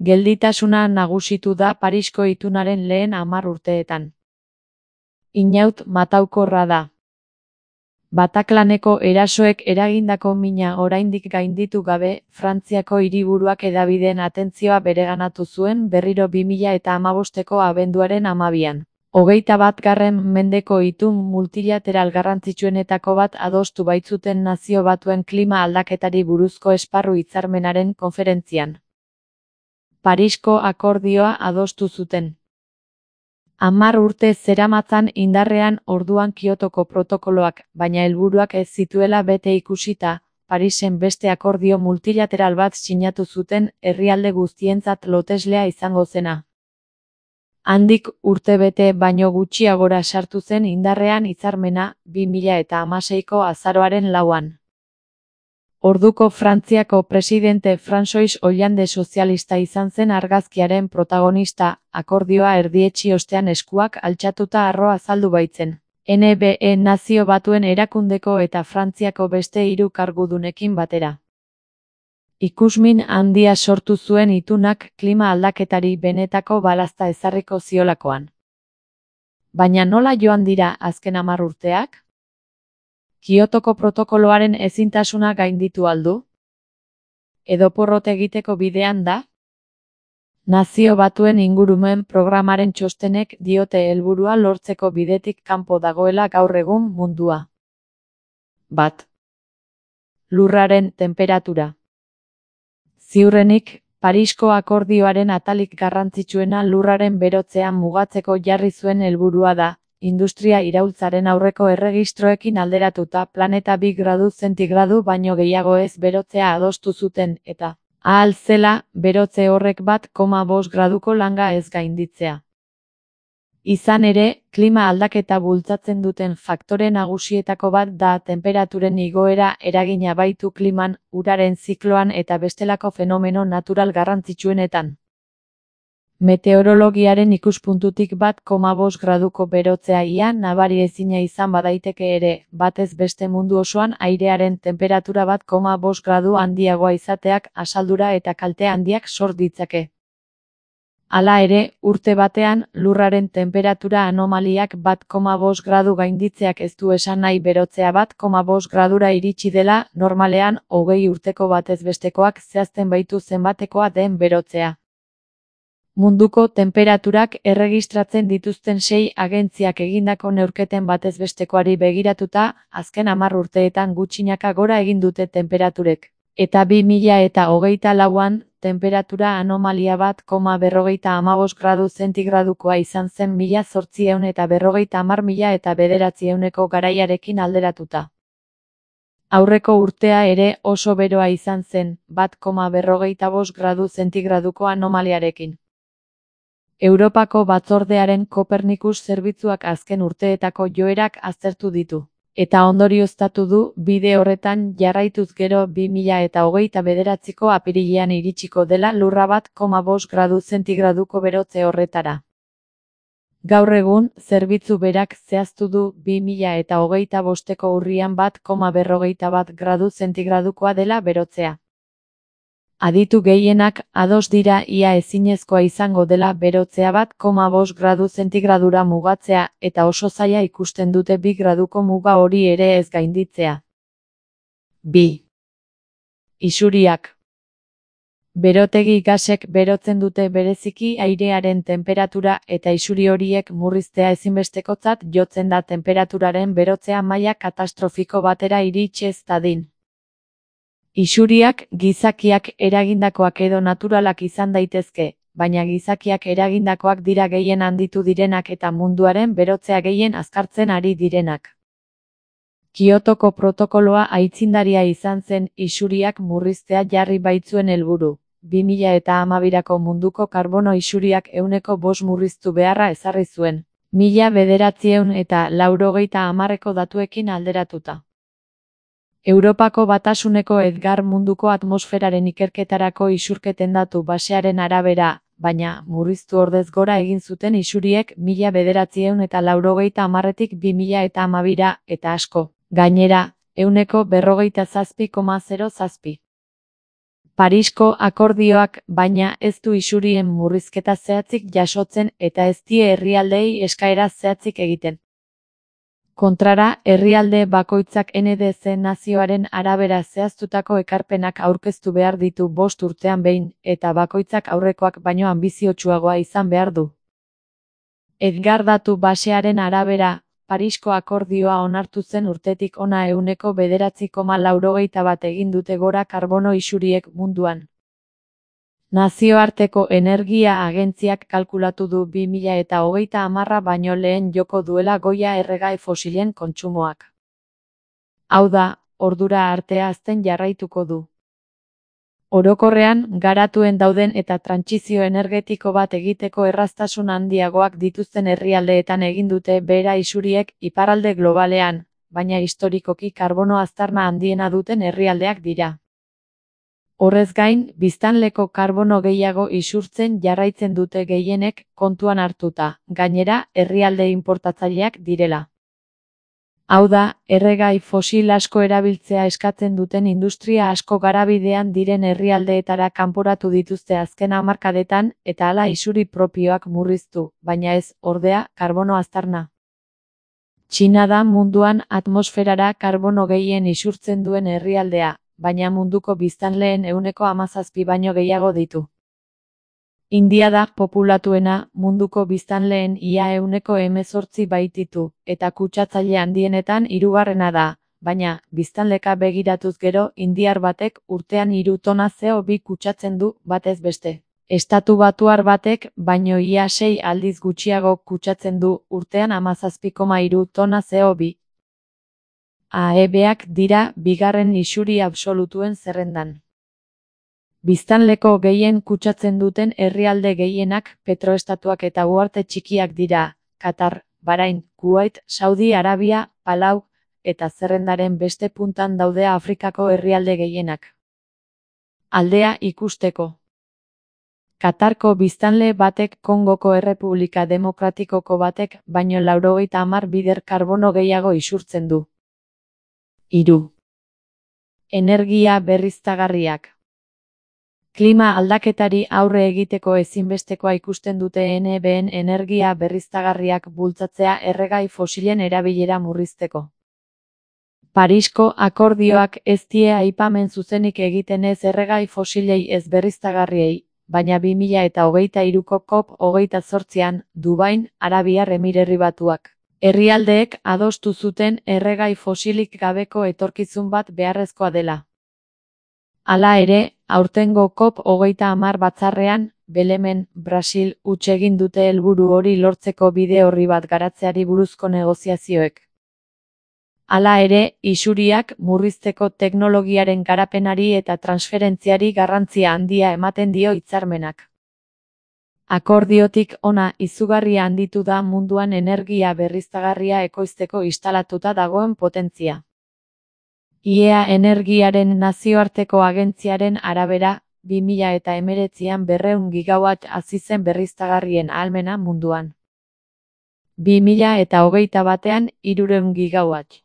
Gelditasuna nagusitu da Parisko itunaren lehen 10 urteetan. Inaut mataukorra da. Bataclaneko erasoek eragindako mina oraindik gainditu gabe, Frantziako hiriburuak hedabideen atentzioa bereganatu zuen berriro 2015ko abenduaren 12an. 21. mendeko itun multilateral garrantzitsuenetako bat adostu baitzuten Nazio Batuen klima aldaketari buruzko esparru hitzarmenaren konferentzian. Parisko akordioa adostu zuten. 10 urte zeramatzan indarrean orduan Kiotoko protokoloak, baina helburuak ez zituela bete ikusita, Parisen beste akordio multilateral bat sinatu zuten herrialde guztientzat loteslea izango zena. Handik urtebete baino gutxiagora sartu zen indarrean hitzarmena 2016ko azaroaren 4an. Orduko Frantziako presidente François Hollande sozialista izan zen argazkiaren protagonista, akordioa erdietsi ostean eskuak altxatuta harro azaldu baitzen. NBE Nazio Batuen Erakundeko eta Frantziako beste 3 kargudunekin batera. Ikusmin handia sortu zuen itunak klima aldaketari benetako balazta ezarriko ziolakoan. Baina nola joan dira azken 10 urteak? Kiotoko protokoloaren ezintasuna gainditu aldu? Edo porrot egiteko bidean da? Nazio Batuen ingurumen programaren txostenek diote helburua lortzeko bidetik kanpo dagoela gaur egun mundua. 1. Lurraren tenperatura. Ziurrenik, Parisko akordioaren atalik garrantzitsuena lurraren berotzea mugatzeko jarri zuen helburua da, industria iraultzaren aurreko erregistroekin alderatuta planeta 2 gradu zentigradu baino gehiago ez berotzea adostu zuten eta, ahal zela, berotze horrek 1,5 graduko langa ez gainditzea. Izan ere, klima aldaketa bultzatzen duten faktore nagusietako bat da tenperaturen igoera eragina baitu kliman, uraren zikloan eta bestelako fenomeno natural garrantzitsuenetan. Meteorologiaren ikuspuntutik 1,5 graduko berotzea ia nabari ezina izan badaiteke ere, batez beste mundu osoan airearen tenperatura 1,5 gradu handiagoa izateak asaldura eta kalte handiak sor ditzake. Hala ere, urte batean, lurraren tenperatura anomaliak 1,5 gradu gainditzeak ez du esan nahi berotzea 1,5 gradura iritsi dela, normalean, 20 urteko batez bestekoak zehazten baitu zenbatekoa den berotzea. Munduko tenperaturak erregistratzen dituzten 6 agentziak egindako neurketen batez bestekoari begiratuta, azken 10 urteetan gutxinaka gora egin dute tenperaturek. Eta 2024an, tenperatura anomalia 1,55 gradu zentigradukoa izan zen 1850-1900ko garaiarekin alderatuta. Aurreko urtea ere oso beroa izan zen, 1,55 gradu zentigraduko anomaliarekin. Europako Batzordearen Kopernikus zerbitzuak azken urteetako joerak aztertu ditu. Eta ondorioztatu du, bide horretan jarraituz gero 2029ko apirilean iritsiko dela lurra 1,5 gradu zentigraduko berotze horretara. Gaur egun, zerbitzu berak zehaztu du 2025ko urrian 1,51 gradu zentigradukoa dela berotzea. Aditu gehienak ados dira ia ezinezkoa izango dela berotzea 1,5 gradu zentigradura mugatzea eta oso zaila ikusten dute 2 graduko muga hori ere ez gainditzea. 2. Isuriak. Berotegi gasek berotzen dute bereziki airearen tenperatura eta isuri horiek murriztea ezinbestekotzat jotzen da tenperaturaren berotzea maila katastrofiko batera iritsi ez dadin. Isuriak gizakiak eragindakoak edo naturalak izan daitezke, baina gizakiak eragindakoak dira gehien handitu direnak eta munduaren berotzea gehien azkartzen ari direnak. Kiotoko protokoloa aitzindaria izan zen isuriak murriztea jarri baitzuen helburu. 2012ko munduko karbono isuriak 5% murriztu beharra ezarri zuen, 1990ko datuekin alderatuta. Europako Batasuneko Edgar munduko atmosferaren ikerketarako isurketen datu basearen arabera, baina murriztu ordez gora egin zuten isuriek 1990tik 2012ra eta asko, gainera, 147,07. Parisko akordioak, baina, ez du isurien murrizketa zehatzik jasotzen eta ez die herrialdeei eskaera zehatzik egiten. Kontrara, herrialde bakoitzak NDC nazioaren arabera zehaztutako ekarpenak aurkeztu behar ditu 5 urtean behin, eta bakoitzak aurrekoak baino anbiziotsuagoa izan behar du. Edgar datu basearen arabera, Parisko akordioa onartu zen urtetik hona 9,91 egin dute gora karbono isuriek munduan. Nazioarteko Energia Agentziak kalkulatu du 2030 baino lehen joko duela goia erregai fosilen kontsumoak. Hau da, ordura arte hazten jarraituko du. Orokorrean, garatuen dauden eta trantsizio energetiko bat egiteko erraztasun handiagoak dituzten herrialdeetan egin dute behera isuriek iparralde globalean, baina historikoki karbono aztarna handiena duten herrialdeak dira. Horrez gain, biztanleko karbono gehiago isurtzen jarraitzen dute gehienek kontuan hartuta, gainera, herrialde inportatzaileak direla. Hau da, erregai fosil asko erabiltzea eskatzen duten industria asko garabidean diren herrialdeetara kanporatu dituzte azken hamarkadetan eta hala isuri propioak murriztu, baina ez, ordea, karbono aztarna. Txina da munduan atmosferara karbono gehien isurtzen duen herrialdea, baina munduko biztanleen 17% baino gehiago ditu. India da populatuena, munduko biztanleen ia 18% baititu, eta kutsatzaile handienetan 3. da, baina, biztanleka begiratuz gero, indiar batek urtean 3 tona CO2 kutsatzen du, batez beste. Estatu Batuar batek, baino ia 6 aldiz gutxiago kutsatzen du, urtean 17,3 tona CO2. AEBak dira bigarren isuri absolutuen zerrendan. Biztanleko gehien kutsatzen duten herrialde gehienak petroestatuak eta uharte txikiak dira, Katar, Bahrain, Kuwait, Saudi Arabia, Palau, eta zerrendaren beste puntan daude Afrikako herrialde gehienak. Aldea ikusteko. Katarko biztanle batek Kongoko Errepublika Demokratikoko batek baino 90 bider karbono gehiago isurtzen du. 3. Energia berriztagarriak. Klima aldaketari aurre egiteko ezinbestekoa ikusten dute NBN energia berriztagarriak bultzatzea erregai fosilen erabilera murrizteko. Parisko akordioak ez die aipamen zuzenik egiten ez erregai fosilei ez berriztagarriei, baina 2023ko COP28an, Dubain, Arabiar Emirerri Batuak. Herrialdeek adostu zuten erregai fosilik gabeko etorkizun bat beharrezkoa dela. Hala ere, aurtengo COP30 batzarrean, Belemen, Brasil, huts egin dute helburu hori lortzeko bide orri bat garatzeari buruzko negoziazioek. Hala ere, isuriak murrizteko teknologiaren garapenari eta transferentziari garrantzia handia ematen dio hitzarmenak. Akordiotik hona izugarria handitu da munduan energia berriztagarria ekoizteko instalatuta dagoen potentzia. IEA Energiaren nazioarteko agentziaren arabera, 2019an 200 gigawatt hasi zen berriztagarrien ahalmena munduan. 2021an 300 gigawatt.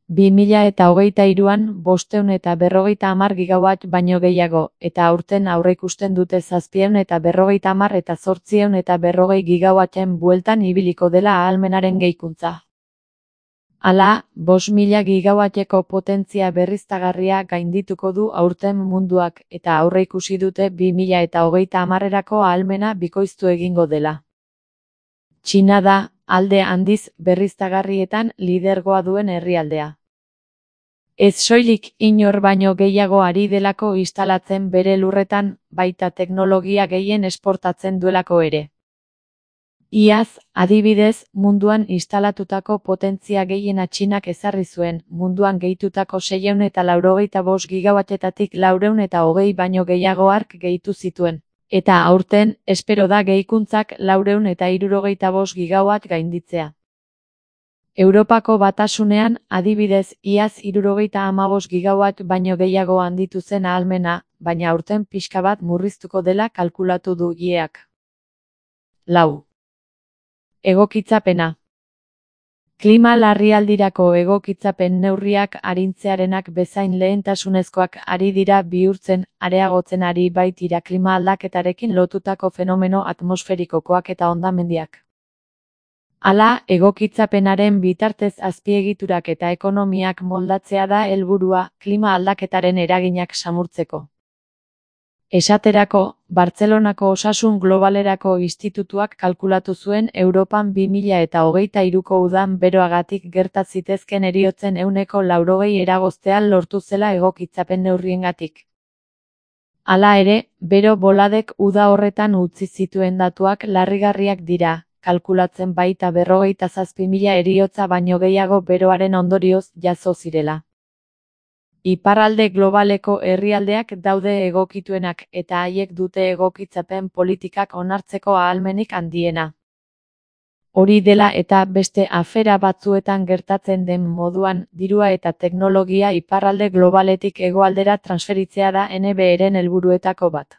2023an 550 gigawatt baino gehiago, eta aurten aurreikusten dute 750 eta 840 gigawatten bueltan ibiliko dela ahalmenaren gehikuntza. Hala, 5.000 gigawatteko potentzia berriztagarria gaindituko du aurten munduak eta aurreikusi dute 2030erako ahalmena bikoiztu egingo dela. Txina da, alde handiz berriztagarrietan lidergoa duen herrialdea. Ez soilik inor baino gehiago ari delako instalatzen bere lurretan, baita teknologia gehien esportatzen duelako ere. Iaz, adibidez, munduan instalatutako potentzia gehiena Txinak ezarri zuen, munduan gehitutako 685 gigawattetatik 420 baino gehiago ark gehitu zituen. Eta aurten, espero da gehikuntzak 475 gigawatt gainditzea. Europako Batasunean, adibidez, iaz 75 gigawatt baino gehiago handitu zen ahalmena, baina aurten pixka bat murriztuko dela kalkulatu du IEAk. 4. Egokitzapena. Klima larrialdirako egokitzapen neurriak arintzearenak bezain lehentasunezkoak ari dira bihurtzen, areagotzen ari baitira klima aldaketarekin lotutako fenomeno atmosferikokoak eta hondamendiak. Hala, egokitzapenaren bitartez azpiegiturak eta ekonomiak moldatzea da helburua, klima aldaketaren eraginak samurtzeko. Esaterako, Bartzelonako Osasun Globalerako Institutuak kalkulatu zuen Europan 2023ko udan beroagatik gerta zitezkeen heriotzen 80% eragoztea lortu zela egokitzapen neurriengatik. Hala ere, bero boladek uda horretan utzi zituen datuak larrigarriak dira, kalkulatzen baita 47.000 heriotza baino gehiago beroaren ondorioz jazo zirela. Iparralde globaleko herrialdeak daude egokituenak eta haiek dute egokitzapen politikak onartzeko ahalmenik handiena. Hori dela eta beste afera batzuetan gertatzen den moduan, dirua eta teknologia iparralde globaletik hegoaldera transferitzea da NBEren helburuetako bat.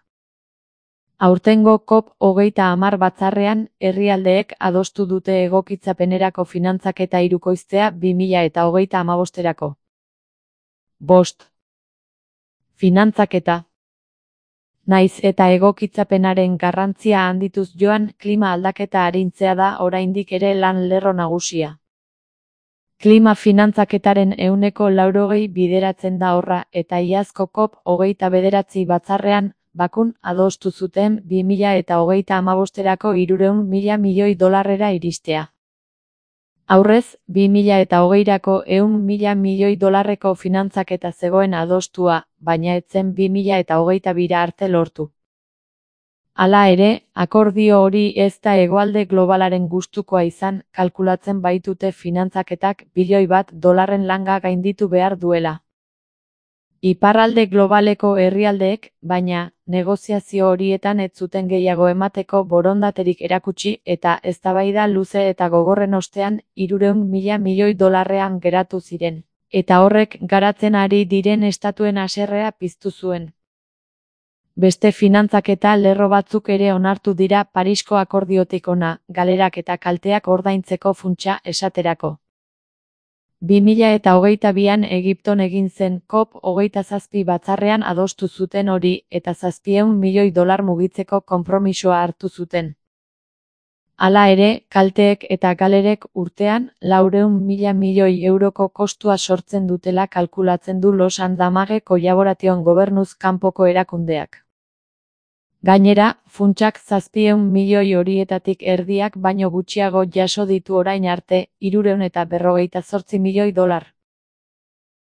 Aurtengo COP30 batzarrean, herrialdeek adostu dute egokitzapenerako finantzaketa hirukoiztea 2035erako. 5. Finantzaketa. Naiz eta egokitzapenaren garrantzia handituz joan, klima aldaketa arintzea da oraindik ere lan lerro nagusia. Klima finantzaketaren 80% bideratzen da horra, eta iazko COP29 batzarrean, Bakun adostu zuten 2035erako 300.000 milioi dolarrera iristea. Aurrez, 2020rako 100.000 milioi dolarreko finantzaketa zegoen adostua, baina ez zen 2022 arte lortu. Hala ere, akordio hori ez da hegoalde globalaren gustukoa izan, kalkulatzen baitute finantzaketak $1 bilioi langa gainditu behar duela. Iparralde globaleko herrialdeek, baina, negoziazio horietan ez zuten gehiago emateko borondaterik erakutsi eta eztabaida luze eta gogorren ostean 300.000 milioi dolarrean geratu ziren, eta horrek garatzen ari diren estatuen haserrea piztu zuen. Beste finantzaketa lerro batzuk ere onartu dira Parisko akordiotik hona, galerak eta kalteak ordaintzeko funtsa esaterako. 2022an Egipton egin zen COP27 batzarrean adostu zuten hori eta $700 milioi mugitzeko konpromisoa hartu zuten. Hala ere, kalteek eta galerek urtean €400.000 milioi kostua sortzen dutela kalkulatzen du Los Andamage Collaboration gobernuz kanpoko erakundeak. Gainera, funtsak 700 milioi horietatik erdiak baino gutxiago jaso ditu orain arte, $348 milioi.